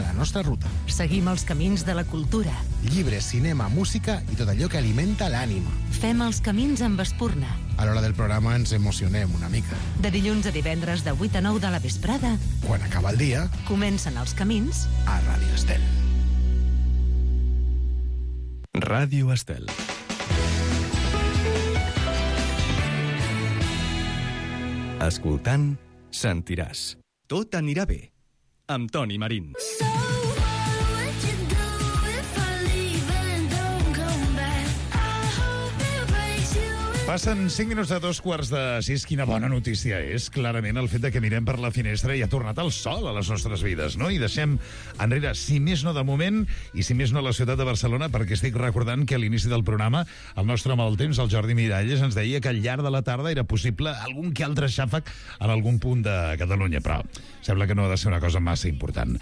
a la nostra ruta. Seguim els camins de la cultura. Llibres, cinema, música i tot allò que alimenta l'ànima. Fem els camins amb Espurna. A l'hora del programa ens emocionem una mica. De dilluns a divendres de 8 a 9 de la vesprada. Quan acaba el dia, comencen els camins a Ràdio Estel. Ràdio Estel. Escoltant, sentiràs. Tot anirà bé. Amb Toni Marín. Passen 5 minuts de 5:45. Quina bona notícia és, clarament, el fet de que mirem per la finestra i ha tornat el sol a les nostres vides, no? I deixem enrere, si més no de moment, i si més no a la ciutat de Barcelona, perquè estic recordant que a l'inici del programa el nostre home del temps, el Jordi Miralles, ens deia que al llarg de la tarda era possible algun que altre xàfec en algun punt de Catalunya, però sembla que no ha de ser una cosa massa important.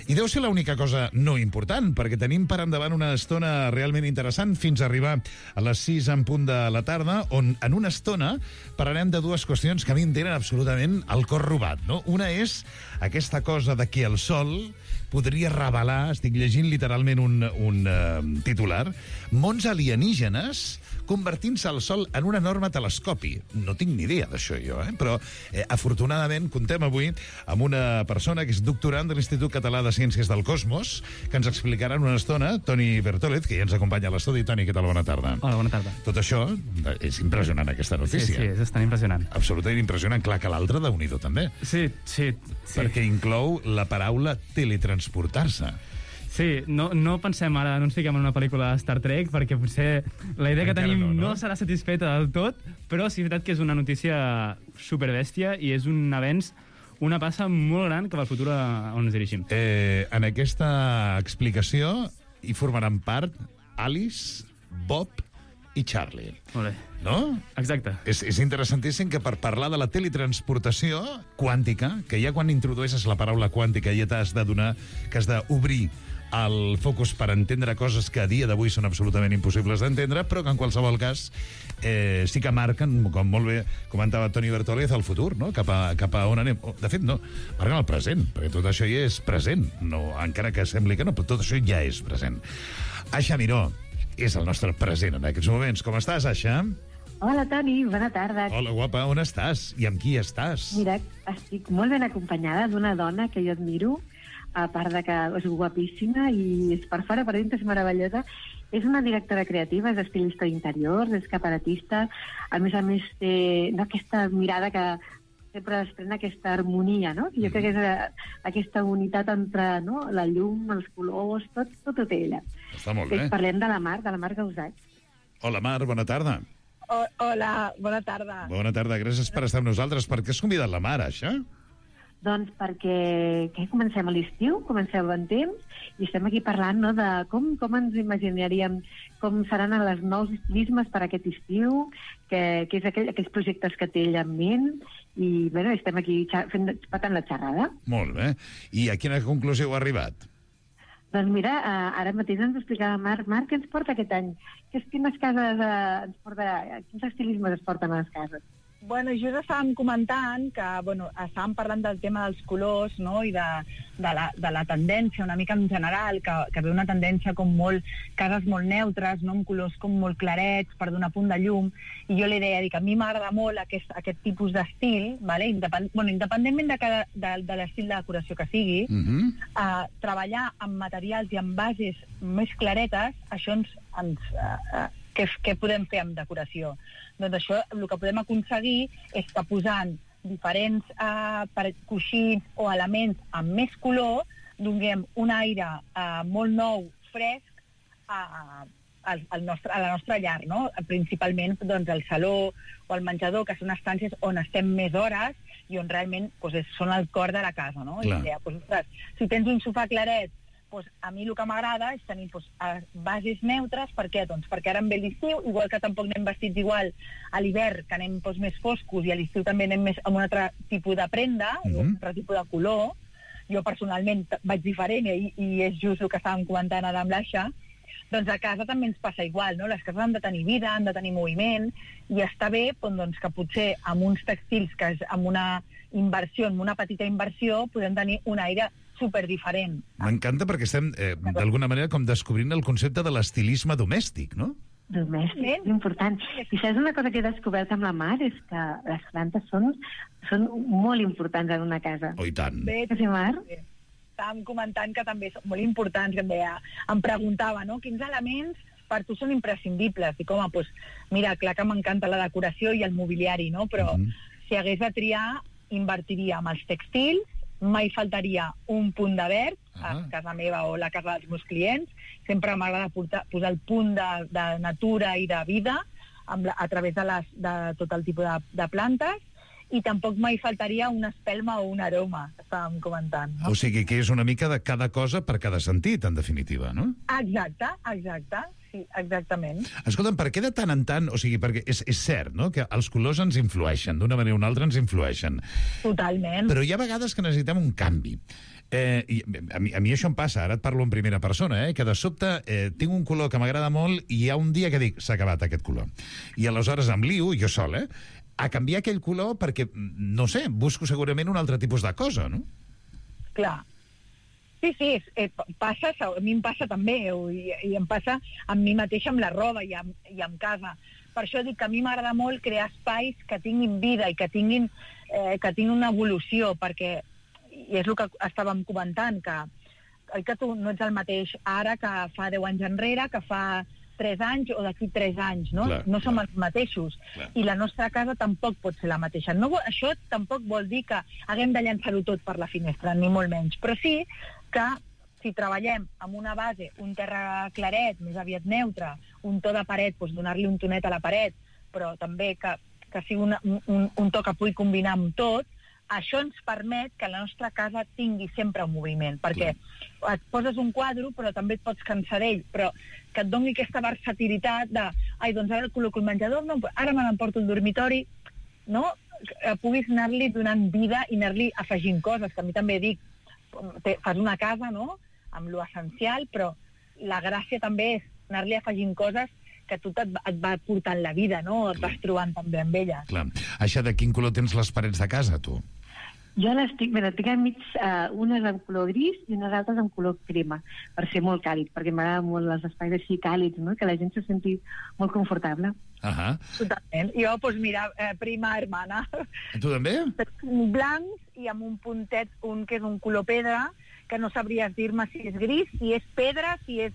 I deu ser l'única cosa no important, perquè tenim per endavant una estona realment interessant fins a arribar a les 6 en punt de la tarda, on en una estona parlarem de dues qüestions que a mi em tenen absolutament el cor robat, no? Una és aquesta cosa de que el sol podria revelar, estic llegint literalment un titular, mons alienígenes convertint-se el sol en un enorme telescopi. No tinc ni idea d'això jo, però afortunadament contem avui amb una persona que és doctorant de l'Institut Català de Ciències del Cosmos, que ens explicarà en una estona, Toni Bertòlez, que ja ens acompanya a l'estudi. Toni, què tal? Bona tarda. Hola, bona tarda. Tot això és impressionant, aquesta notícia. Sí, és bastant impressionant. Absolutament impressionant. Clar que l'altre, Déu-n'hi-do, també. Sí. Perquè inclou la paraula teletransportar-se. Sí, no pensem ara, no ens fiquem en una pel·lícula de Star Trek, perquè potser la idea que tenim no serà satisfeta del tot, però sí és veritat que és una notícia superbèstia i és un avenç, una passa molt gran cap al futur on ens dirigim. En aquesta explicació hi formaran part Alice, Bob i Charlie. Molt bé. No? Exacte. És interessantíssim que per parlar de la teletransportació quàntica, que ja quan introdueixes la paraula quàntica ja t'has d'adonar que has d'obrir el focus per entendre coses que a dia d'avui són absolutament impossibles d'entendre, però que en qualsevol cas sí que marquen, com molt bé comentava Toni Bertòlez, el futur, no? Cap a on anem. De fet, no, marquen el present, perquè tot això ja és present, no, encara que sembli que no, però tot això ja és present. Aixa Miró és el nostre present en aquests moments. Com estàs, Aixa? Hola, Toni, bona tarda. Hola, guapa, on estàs? I amb qui estàs? Mira, estic molt ben acompanyada d'una dona que jo admiro, a part de que és guapíssima i és per fora, per dintre és meravellosa. És una directora creativa, és estilista d'interiors, és cabaretista, a més té aquesta mirada que sempre desprèn aquesta harmonia, no? Jo crec que és aquesta unitat entre la llum, els colors, tot ho té ella. Està molt bé. Parlem de la Mar Gausach. Hola, Mar, bona tarda. Hola, bona tarda. Bona tarda, gràcies per estar amb nosaltres. Per què has convidat la Mar, això? Doncs perquè comencem a l'estiu, comencem el bon temps, i estem aquí parlant de com ens imaginaríem com seran els nous estilismes per aquest estiu, que és aquells projectes que té ella en ment, i estem aquí patant la xerrada. Molt bé. I a quina conclusió heu arribat? Doncs mira, ara mateix ens explicava Marc, què ens porta aquest any? Quines cases ens porta, quins estilismes es porten a les cases? Bueno, just estàvem comentant que, estàvem parlant del tema dels colors, no?, i de la tendència, una mica en general, que ve una tendència com cases molt neutres, no?, amb colors com molt clarets, per donar punt de llum, i jo li deia que a mi m'agrada molt aquest tipus d'estil, vale? Independentment de l'estil de decoració que sigui, treballar amb materials i amb bases més claretes, això què podem fer amb decoració? Doncs això, el que podem aconseguir és que posant diferents coixins o elements amb més color, donem un aire molt nou, fresc, a la nostra llar, no? Principalment el saló o el menjador, que són estàncies on estem més hores i on realment són el cor de la casa, no? Si tens un sofà claret, a mi el que m'agrada és tenir bases neutres. Per què? Doncs perquè ara em ve l'estiu, igual que tampoc anem vestits igual a l'hivern, que anem més foscos, i a l'estiu també anem més amb un altre tipus de prenda, un altre tipus de color. Jo personalment vaig diferent i és just el que estàvem comentant ara amb l'Aixa. Doncs a casa també ens passa igual, no? Les cases han de tenir vida, han de tenir moviment, i està bé que potser amb uns textils, que amb una petita inversió, podem tenir un aire superdiferent. M'encanta perquè estem, d'alguna manera, com descobrint el concepte de l'estilisme domèstic, no? Domèstic, és important. I saps una cosa que he descobert amb la Mar? És que les plantes són molt importants en una casa. Oh, i tant. Bé, Sí, Mar? estàvem comentant que també són molt importants, que em preguntava, no?, quins elements per tu són imprescindibles. Dic, home, doncs, mira, clar que m'encanta la decoració i el mobiliari, no?, però si hagués de triar, invertiria en els textils, mai faltaria un punt de verd, a casa meva o la casa dels meus clients. Sempre m'agrada posar el punt de natura i de vida a través de tot el tipus de plantes, i tampoc mai faltaria una espelma o un aroma, estàvem comentant. O sigui que és una mica de cada cosa per cada sentit, en definitiva, no? Exacte, sí, exactament. Escolta'm, per què de tant en tant... O sigui, perquè és cert, no?, que els colors ens influeixen, d'una manera o una altra ens influeixen. Totalment. Però hi ha vegades que necessitem un canvi. I a mi això em passa, ara et parlo en primera persona, que de sobte tinc un color que m'agrada molt i hi ha un dia que dic, s'ha acabat aquest color. I aleshores em lio, jo sol, a canviar aquell color perquè, no sé, busco segurament un altre tipus de cosa, no? Clar. Sí, passa, a mi em passa també, i em passa amb mi mateixa, amb la roba i amb casa. Per això dic que a mi m'agrada molt crear espais que tinguin vida i que tinguin una evolució, perquè, i és el que estàvem comentant, que tu no ets el mateix ara que fa 10 anys enrere, que fa 3 anys o d'aquí 3 anys, no? Clar, no som els mateixos. Clar. I la nostra casa tampoc pot ser la mateixa. No, això tampoc vol dir que haguem de llançar-ho tot per la finestra, ni molt menys. Però sí que si treballem amb una base, un terra claret, més aviat neutre, un to de paret, doncs donar-li un tonet a la paret, però també que sigui un to que pugui combinar amb tot, això ens permet que la nostra casa tingui sempre un moviment, perquè et poses un quadre, però també et pots cansar d'ell, però que et doni aquesta versatilitat de, doncs ara el col·loco al menjador, no, ara me l'emporto al dormitori, no? Que puguis anar-li donant vida i anar-li afegint coses, que a mi també dic, fas una casa, no?, amb lo essencial, però la gràcia també és anar-li afegint coses que tu et va portant la vida, no? Et vas trobant també amb elles. Clar. Això, de quin color tens les parets de casa, tu? Jo tinc enmig, unes en color gris i unes altres en color crema, per ser molt càlid, perquè m'agraden molt els espais així càlids, no?, que la gent se senti molt confortable. Totalment. Jo, doncs mira, prima hermana. Tu també? Blancs i amb un puntet, que és un color pedra, que no sabries dir-me si és gris, si és pedra, si és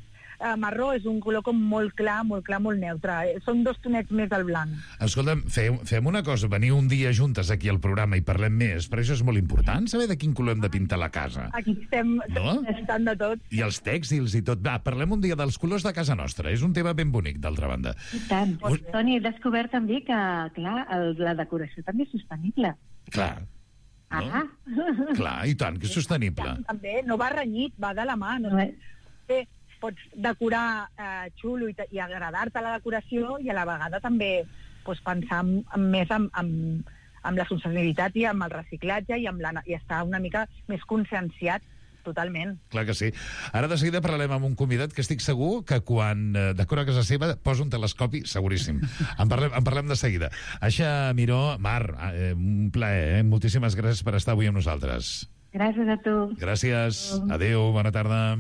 marró, és un color com molt clar, molt neutre. Són 2 tonets més al blanc. Escolta'm, fem una cosa, veniu un dia juntes aquí al programa i parlem més, per això és molt important saber de quin color hem de pintar la casa. Aquí estem estant de tot. I els tèxtils i tot. Va, parlem un dia dels colors de casa nostra. És un tema ben bonic, d'altra banda. I tant. Toni, he descobert també que, clar, la decoració també és sostenible. Clar. No? Clar, i tant, que és sostenible. També, no va renyit, va de la mà. No? Pots decorar xulo i agradar-te la decoració i a la vegada també pensar més amb la sostenibilitat i amb el reciclatge i estar una mica més conscienciat totalment. Clar que sí. Ara de seguida parlarem amb un convidat que estic segur que quan decora casa seva posa un telescopi, seguríssim. En parlem de seguida. Aixa Miró, Mar, un plaer, Moltíssimes gràcies per estar avui amb nosaltres. Gràcies a tu. Gràcies. Adéu, bona tarda.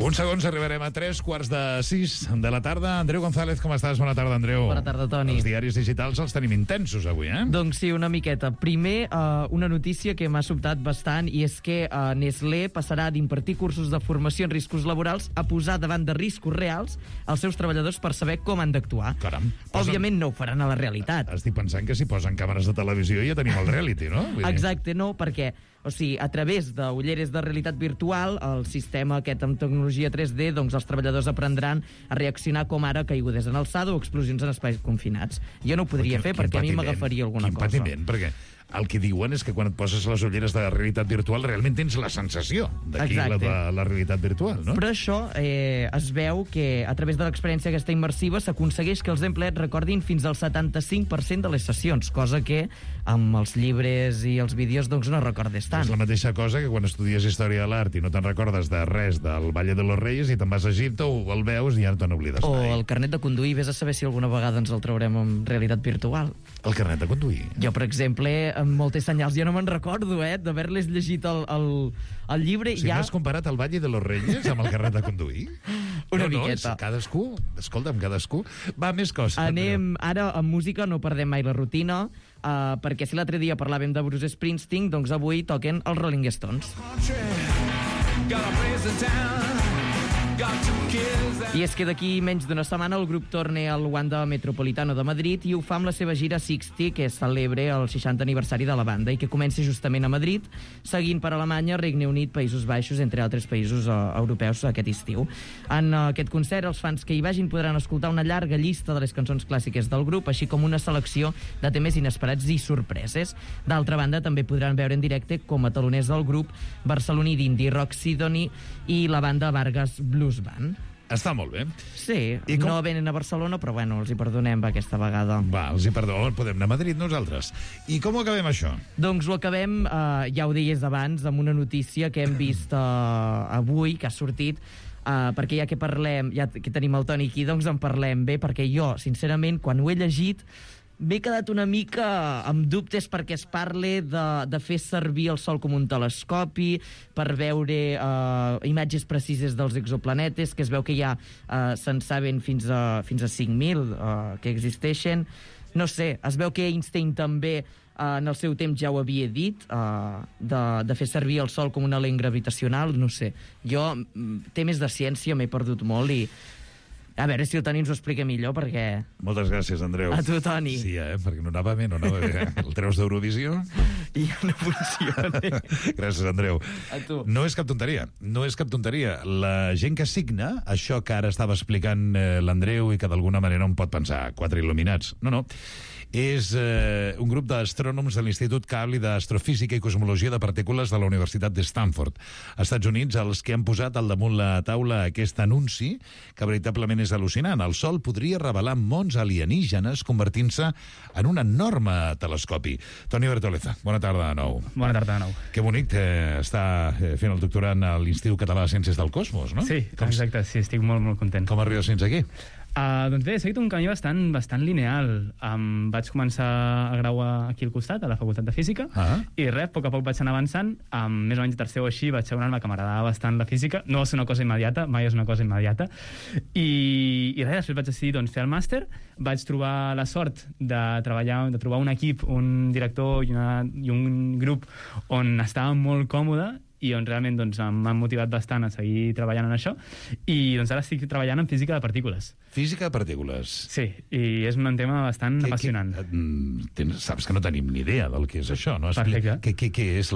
Uns segons arribarem a 3:45 de la tarda. Andreu González, com estàs? Bona tarda, Andreu. Bona tarda, Toni. Els diaris digitals els tenim intensos avui, Doncs sí, una miqueta. Primer, una notícia que m'ha sobtat bastant, i és que Nestlé passarà d'impartir cursos de formació en riscos laborals a posar davant de riscos reals els seus treballadors per saber com han d'actuar. Caram. Òbviament no ho faran a la realitat. Estic pensant que si posen càmeres de televisió ja tenim el reality, no? Exacte, no, perquè a través d'ulleres de realitat virtual, el sistema aquest amb tecnologia 3D, doncs els treballadors aprendran a reaccionar com ara caigudes en alçada o explosions en espais confinats. Jo no ho podria fer perquè a mi m'agafaria alguna cosa. Quin patiment, perquè el que diuen és que quan et poses les ulleres de realitat virtual realment tens la sensació d'aquí la realitat virtual, no? Però això es veu que a través de l'experiència aquesta immersiva s'aconsegueix que els empleats recordin fins al 75% de les sessions, cosa que amb els llibres i els vídeos doncs no recordes tant. És la mateixa cosa que quan estudies Història de l'Art i no te'n recordes de res del Valle de los Reyes i te'n vas a Egipte o el veus i ja no te n'oblides mai. O el carnet de conduir, vés a saber si alguna vegada ens el traurem en realitat virtual. El carnet de conduir? Jo, per exemple, amb moltes senyals, jo no me'n recordo, d'haver-les llegit el llibre. O sigui, has comparat el Valle de los Reyes amb el carnet de conduir? Una miqueta. Cadascú, escolta'm, cadascú. Va, més coses. Anem, ara, amb música no perdem mai la rutina, perquè si l'altre dia parlàvem de Bruce Springsteen, doncs avui toquen els Rolling Stones. I és que d'aquí menys d'una setmana el grup torna al Wanda Metropolitano de Madrid i ho fa amb la seva gira 60, que celebra el 60 aniversari de la banda i que comença justament a Madrid, seguint per Alemanya, Regne Unit, Països Baixos, entre altres països europeus aquest estiu. En aquest concert, els fans que hi vagin podran escoltar una llarga llista de les cançons clàssiques del grup, així com una selecció de temes inesperats i sorpreses. D'altra banda, també podran veure en directe com a taloners del grup barceloní d'indie rock Sidoni i la banda Vargas Blues Band. Està molt bé. Sí, no venen a Barcelona, però bueno, els hi perdonem aquesta vegada. Va, els hi perdonem, podem anar a Madrid nosaltres. I com ho acabem, això? Doncs ho acabem, ja ho deies abans, amb una notícia que hem vist avui, que ha sortit, perquè ja que parlem, ja que tenim el Toni aquí, doncs en parlem bé, perquè jo, sincerament, quan ho he llegit, m'he quedat una mica amb dubtes perquè es parle de fer servir el Sol com un telescopi per veure imatges precises dels exoplanetes, que es veu que ja se'n saben fins a 5.000 que existeixen. No sé, es veu que Einstein també en el seu temps ja ho havia dit, de fer servir el Sol com una lent gravitacional, no sé. Jo, temes de ciència m'he perdut molt i a veure si el Toni ens ho explica millor, perquè... Moltes gràcies, Andreu. A tu, Toni. Sí, perquè no anava bé. El treus d'Eurovisió? I ja no funciona. Gràcies, Andreu. A tu. No és cap tonteria. La gent que signa, això que ara estava explicant l'Andreu i que d'alguna manera un pot pensar, 4 il·luminats. No. És un grup d'astrònoms de l'Institut Cable d'Astrofísica i Cosmologia de Partícules de la Universitat de Stanford, als Estats Units, els que han posat al damunt la taula aquest anunci, que veritablement és al·lucinant. El Sol podria revelar mons alienígenes convertint-se en un enorme telescopi. Toni Bertoleza, bona tarda de nou. Bona tarda de nou. Que bonic estar fent el doctorat a l'Institut Català de Ciències del Cosmos, no? Sí, exacte, sí, estic molt, molt content. Com arribes fins aquí? Doncs bé, he seguit un camí bastant lineal. Vaig començar a grau aquí al costat, a la Facultat de Física, i res, a poc vaig anar avançant. Més o menys tercer o així vaig adonar-me que m'agradava bastant la física. No va ser una cosa immediata, mai és una cosa immediata. I res, després vaig decidir fer el màster. Vaig trobar la sort de trobar un equip, un director i un grup on estava molt còmode i on realment m'han motivat bastant a seguir treballant en això, i ara estic treballant en física de partícules. Física de partícules? Sí, i és un tema bastant apassionant. Saps que no tenim ni idea del que és això, no? Perfecte. Què és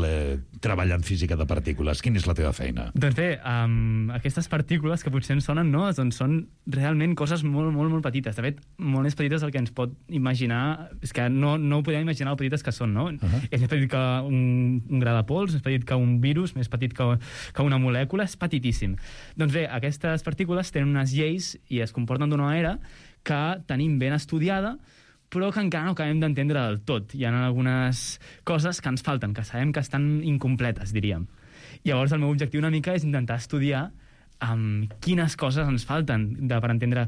treballar en física de partícules? Quina és la teva feina? Doncs bé, aquestes partícules que potser ens sonen, no? Doncs són realment coses molt, molt, molt petites. De fet, molt més petites del que ens pot imaginar. És que no podem imaginar el petites que són, no? És més petit que un gra de pols, més petit que un virus, més petit que una molècula, és petitíssim. Doncs bé, aquestes partícules tenen unes lleis i es comporten d'una manera que tenim ben estudiada, però que encara no acabem d'entendre del tot. Hi ha algunes coses que ens falten, que sabem que estan incompletes, diríem. Llavors, el meu objectiu una mica és intentar estudiar quines coses ens falten per entendre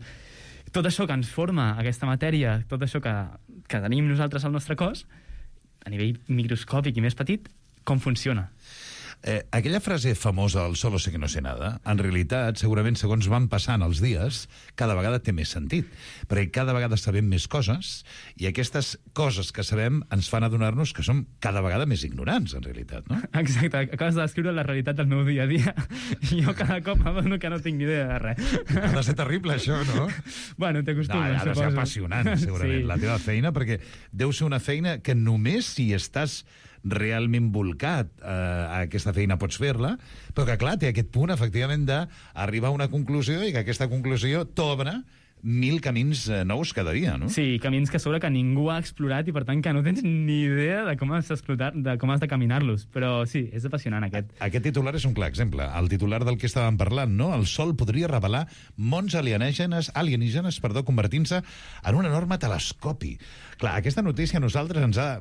tot això que ens forma aquesta matèria, tot això que tenim nosaltres al nostre cos, a nivell microscòpic i més petit, com funciona. Aquella frase famosa, el solo sé que no sé nada, en realitat, segurament, segons van passant els dies, cada vegada té més sentit, perquè cada vegada sabem més coses, i aquestes coses que sabem ens fan adonar-nos que som cada vegada més ignorants, en realitat, no? Exacte, acabes de descriure la realitat del meu dia a dia, i jo cada cop m'adono que no tinc ni idea de res. Ha de ser terrible, això, no? Bueno, t'acostumes, ha de ser apassionant, segurament, la teva feina, perquè deu ser una feina que només si estàs realment volcat a aquesta feina pots fer-la, però que clar, té aquest punt efectivament d'arribar a una conclusió i que aquesta conclusió t'obre 1.000 camins nous cada dia, no? Sí, camins que a sobre que ningú ha explorat i, per tant, que no tens ni idea de com has de caminar-los. Però sí, és apassionant, aquest. Aquest titular és un clar exemple. El titular del que estàvem parlant, no? El Sol podria revelar mons alienígenes, convertint-se en un enorme telescopi. Clar, aquesta notícia a nosaltres ens ha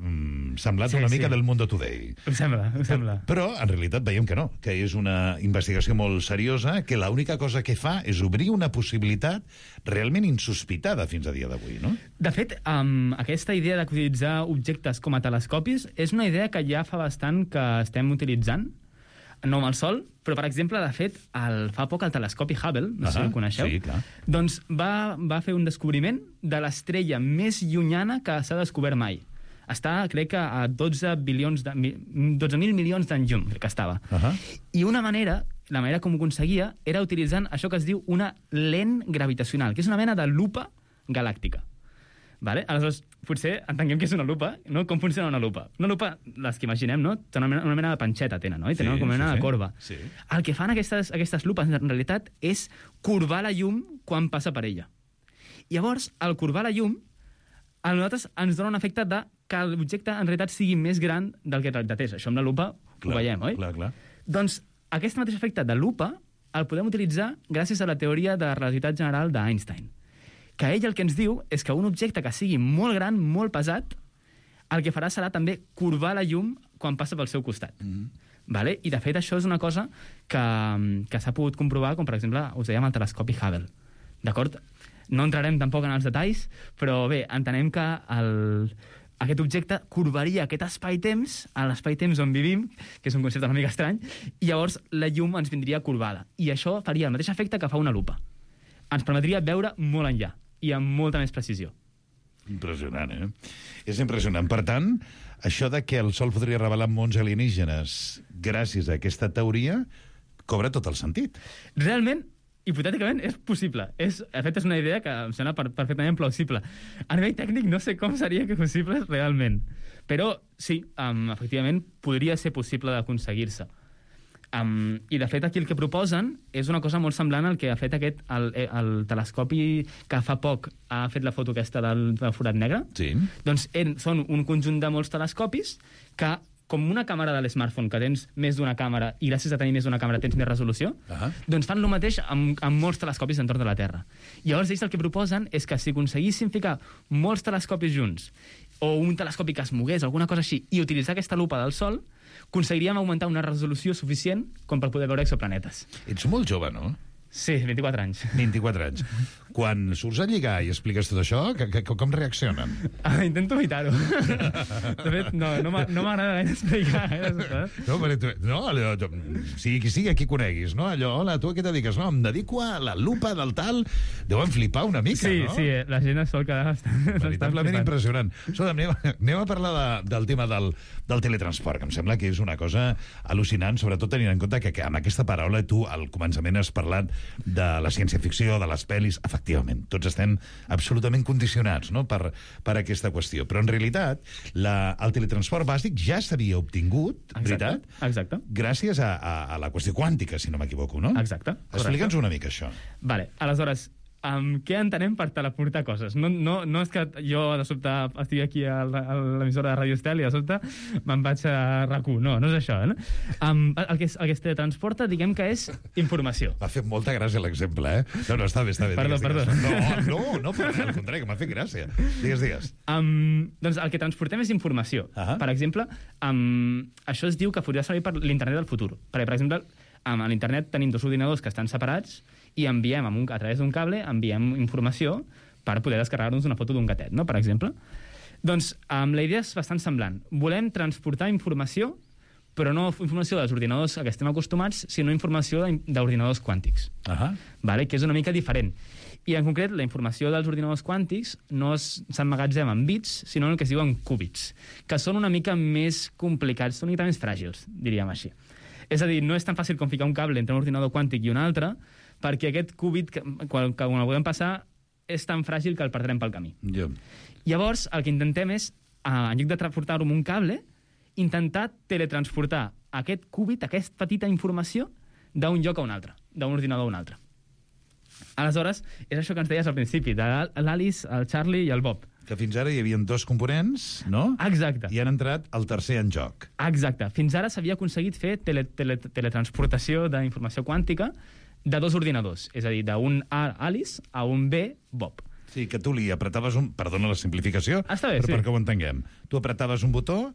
semblat una mica del Mundo Today. Ho sembla. Però, en realitat, veiem que no, que és una investigació molt seriosa, que l'única cosa que fa és obrir una possibilitat realment insospitada fins a dia d'avui, no? De fet, aquesta idea d'utilitzar objectes com a telescopis és una idea que ja fa bastant que estem utilitzant, no amb el Sol, però, per exemple, de fet, fa poc el telescopi Hubble, no sé si el coneixeu, sí, clar. doncs va fer un descobriment de l'estrella més llunyana que s'ha descobert mai. Està, crec que, a 12.000 milions d'anys llum, crec que estava. I la manera com ho aconseguia era utilitzant això que es diu una lent gravitacional, que és una mena de lupa galàctica. Vale? Aleshores, potser entenguem què és una lupa, no? Com funciona una lupa. Una lupa, les que imaginem, no? Tenen una mena de panxeta, tenen, no? I tenen una mena de corba. Sí. El que fan aquestes lupes, en realitat, és corbar la llum quan passa per ella. Llavors, al corbar la llum, a nosaltres ens dona un efecte de que l'objecte en realitat sigui més gran del que en realitat és. Això amb la lupa ho veiem, oi? Clar. Doncs aquest mateix efecte de lupa el podem utilitzar gràcies a la teoria de la relativitat general d'Einstein, que ell el que ens diu és que un objecte que sigui molt gran, molt pesat, el que farà serà també corbar la llum quan passa pel seu costat. Vale? I, de fet, això és una cosa que s'ha pogut comprovar, com, per exemple, us dèiem el telescopi Hubble. D'acord? No entrarem tampoc en els detalls, però bé, entenem que aquest objecte corbaria aquest espai-temps, a l'espai-temps on vivim, que és un concepte una mica estrany, i llavors la llum ens vindria corbada. I això faria el mateix efecte que fa una lupa. Ens permetria veure molt enllà i amb molta més precisió. Impressionant, eh? És impressionant. Per tant, això de que el Sol podria revelar mons alienígenes gràcies a aquesta teoria cobra tot el sentit. Realment, hipotèticament, és possible. De fet, és una idea que em sembla perfectament plausible. A nivell tècnic no sé com seria que possible realment. Però sí, efectivament, podria ser possible d'aconseguir-se. I, de fet, aquí el que proposen és una cosa molt semblant al que ha fet el telescopi que fa poc ha fet la foto aquesta del forat negre. Sí. Doncs són un conjunt de molts telescopis que, com una càmera de l'smartphone, que tens més d'una càmera i gràcies a tenir més d'una càmera tens més resolució, doncs fan el mateix amb molts telescopis entorn de la Terra. Llavors, ells el que proposen és que si aconseguissin ficar molts telescopis junts o un telescopi que es mogués, alguna cosa així, i utilitzar aquesta lupa del Sol, aconseguiríem augmentar una resolució suficient com per poder veure exoplanetes. Ets molt jove, no? Sí, 24 anys. 24 anys. Quan surts a lligar i expliques tot això, com reaccionen? Intento evitar-ho. De fet, no m'agrada gaire explicar. Sigui qui sigui, qui coneguis, no? Allò, hola, tu a què et dediques? No, em dedico a la lupa del tal. Deuen flipar una mica, no? Sí, la gent es sol quedar veritablement impressionant. Anem a parlar del tema del teletransport, que em sembla que és una cosa al·lucinant, sobretot tenint en compte que amb aquesta paraula tu al començament has parlat de la ciència-ficció, de les pel·lis. Efectivament, tots estem absolutament condicionats, no?, per aquesta qüestió. Però, en realitat, el teletransport bàsic ja s'havia obtingut, veritat? Exacte. Gràcies a la qüestió quàntica, si no m'equivoco, no? Exacte. Explica'ns una mica això. Vale, aleshores, què entenem per teleportar coses? No és que jo de sobte estigui aquí a l'emissora de Radio Estel i de sobte me'n vaig a RAC1. No és això, no? El que es teletransporta, diguem que és informació. M'ha fet molta gràcia l'exemple, eh? No, està bé. Perdó. No, al contrari, que m'ha fet gràcia. Digues. Doncs el que transportem és informació. Per exemple, això es diu que podria servir per l'internet del futur. Perquè, per exemple, a l'internet tenim dos ordinadors que estan separats i enviem a través d'un cable informació per poder descarregar-nos una foto d'un gatet, no?, per exemple. Doncs la idea és bastant semblant. Volem transportar informació, però no informació dels ordinadors a què estem acostumats, sinó informació d'ordinadors quàntics, vale? Que és una mica diferent. I, en concret, la informació dels ordinadors quàntics no s'emmagatzema en bits, sinó en el que es diuen qubits, que són una mica més complicats, són una mica més fràgils, diríem així. És a dir, no és tan fàcil com ficar un cable entre un ordinador quàntic i un altre, perquè aquest qubit, quan el podem passar, és tan fràgil que el perdrem pel camí. Llavors, el que intentem és, en lloc de transportar-ho amb un cable, intentar teletransportar aquest qubit, aquesta petita informació, d'un lloc a un altre, d'un ordinador a un altre. Aleshores, és això que ens deies al principi, de l'Alice, el Charlie i el Bob. Que fins ara hi havia 2 components, no? Exacte. I han entrat el tercer en joc. Exacte. Fins ara s'havia aconseguit fer teletransportació d'informació quàntica de 2 ordinadors, és a dir, d'un A, Alice, a un B, Bob. Sí, que tu li apretaves un... Perdona la simplificació, Està bé, però sí. perquè ho entenguem. Tu apretaves un botó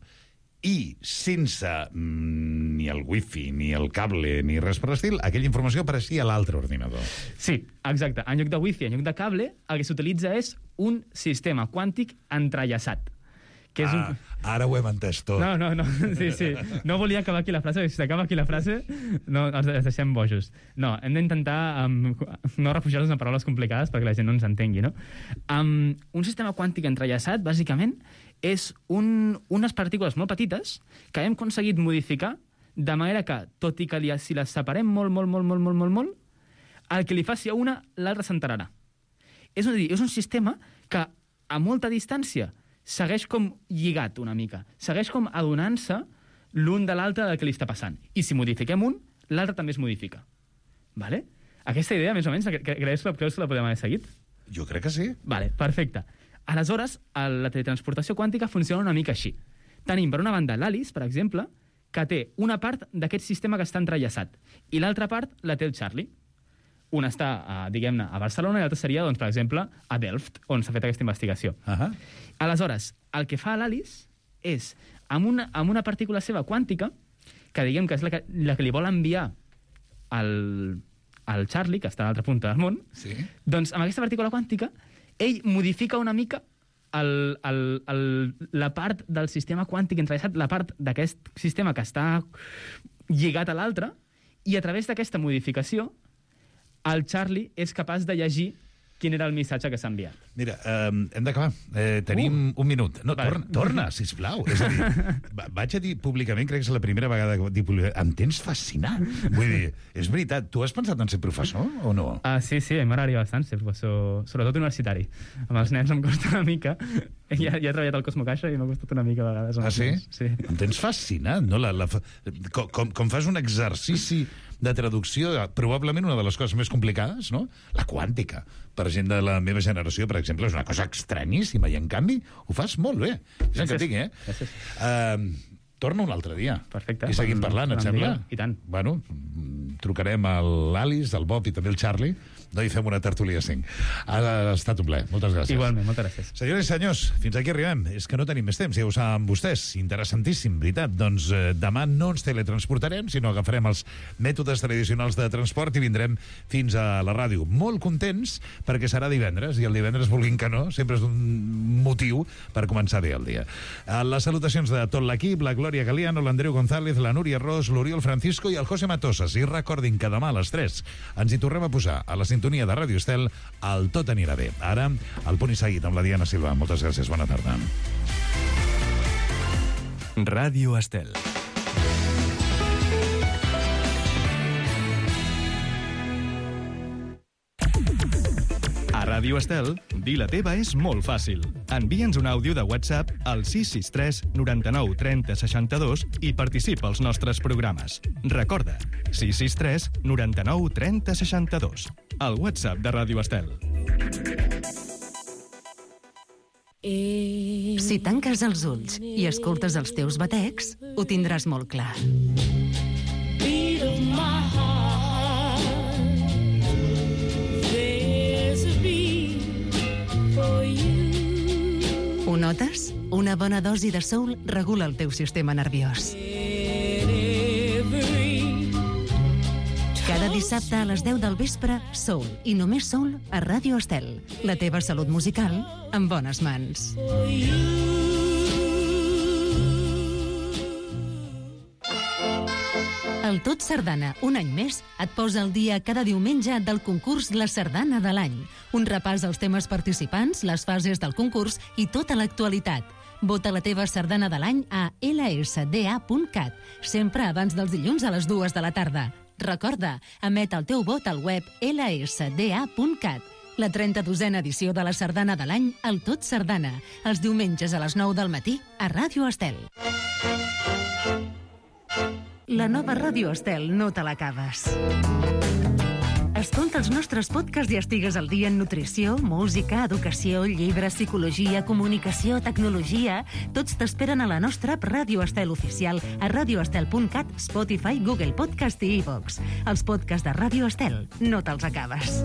i sense ni el wifi, ni el cable, ni res per l'estil, aquella informació apareixia a l'altre ordinador. Sí, exacte. En lloc de wifi, en lloc de cable, el que s'utilitza és un sistema quàntic entrellaçat. Que és Ara ho hem entès tot. No. Sí. No volia acabar aquí la frase, si s'acaba aquí la frase, no, ens deixem bojos. No, hem d'intentar no refugiar-nos en paraules complicades perquè la gent no ens entengui, no? Un sistema quàntic entrellaçat, bàsicament, és unes partícules molt petites que hem aconseguit modificar de manera que, tot i que si les separem molt, el que li faci a una, l'altra s'enterarà. És a dir, és un sistema que a molta distància segueix com lligat una mica, segueix com adonant-se l'un de l'altre del que li està passant. I si modifiquem un, l'altre també es modifica. Vale? Aquesta idea, més o menys, creus que la podem haver seguit? Jo crec que sí. Vale, perfecte. Aleshores, la teletransportació quàntica funciona una mica així. Tenim, per una banda, l'Alice, per exemple, que té una part d'aquest sistema que està entrellaçat, i l'altra part la té el Charlie. Una està, diguem-ne, a Barcelona i l'altra seria, doncs, per exemple, a Delft, on s'ha fet aquesta investigació. Aleshores, el que fa l'Alice és, amb una partícula seva quàntica, que diguem que és la que li vol enviar al Charlie, que està a l'altra punta del món, sí. Doncs amb aquesta partícula quàntica ell modifica una mica la part del sistema quàntic entrellaçat, la part d'aquest sistema que està lligat a l'altre, i a través d'aquesta modificació el Charlie és capaç de llegir quin era el missatge que s'ha enviat. Mira, hem d'acabar. Tenim un minut. No, vale. Torna, sisplau. És a dir, vaig a dir públicament, crec que és la primera vegada que dic públicament, em tens fascinat. Vull dir, és veritat, tu has pensat en ser professor o no? Sí, m'agradaria bastant ser professor, sobretot universitari. Amb els nens em costa una mica. Ja he treballat al Cosmo Caixa i m'ha costat una mica a vegades. Sí? Sí. Em tens fascinat, no? Com fas un exercici de traducció, probablement una de les coses més complicades, no? La quàntica. Per gent de la meva generació, per exemple, és una cosa estranyíssima i, en canvi, ho fas molt bé. És el que tinc, Gràcies. Torna un altre dia. Perfecte. I seguim parlant, et sembla? I tant. Bueno, trucarem a l'Alice, al Bob i també al Charlie, i fem una tertúlia 5. Ha estat un plaer. Moltes gràcies. Igualment, moltes gràcies. Senyores i senyors, fins aquí arribem. És que no tenim més temps, ja ho saben vostès. Interessantíssim, veritat. Doncs demà no ens teletransportarem, sinó agafarem els mètodes tradicionals de transport i vindrem fins a la ràdio. Molt contents perquè serà divendres, i el divendres, vulguin que no, sempre és un motiu per començar bé el dia. Les salutacions de tot l'equip, la Glòria Galiano, l'Andreu González, la Núria Ros, l'Oriol Francisco i el José Matosas. I recordin que demà a les 3 ens hi tornem a posar a la sintonia de Ràdio Estel el Tot anirà bé. Ara, el punt i seguit amb la Diana Silva. Moltes gràcies, bona tarda. Ràdio Estel. A Ràdio Estel, dir la teva és molt fàcil. Envia'ns un àudio de WhatsApp al 663 99 30 62 i participa als nostres programes. Recorda, 663 99 30 62. El WhatsApp de Ràdio Estel. Si tanques els ulls i escoltes els teus batecs, ho tindràs molt clar. Ho notes? Una bona dosi de soul regula el teu sistema nerviós. Cada dissabte a les 10 del vespre, soul i només soul a Ràdio Estel. La teva salut musical en bones mans. El Tot Sardana, un any més, et posa al dia cada diumenge del concurs La Sardana de l'any. Un repàs als temes participants, les fases del concurs i tota l'actualitat. Vota la teva sardana de l'any a lsda.cat, sempre abans dels dilluns a les 2 de la tarda. Recorda, emet el teu vot al web lsda.cat. La 32a edició de la Sardana de l'any, el Tot Sardana, els diumenges a les 9 del matí a Ràdio Estel. La nova Ràdio Estel no te l'acabes. Escolta els nostres podcasts i estigues al dia en nutrició, música, educació, llibres, psicologia, comunicació, tecnologia. Tots t'esperen a la nostra app Ràdio Estel oficial a radioestel.cat, Spotify, Google Podcast i iVoox. Els podcasts de Ràdio Estel, no te'ls acabes.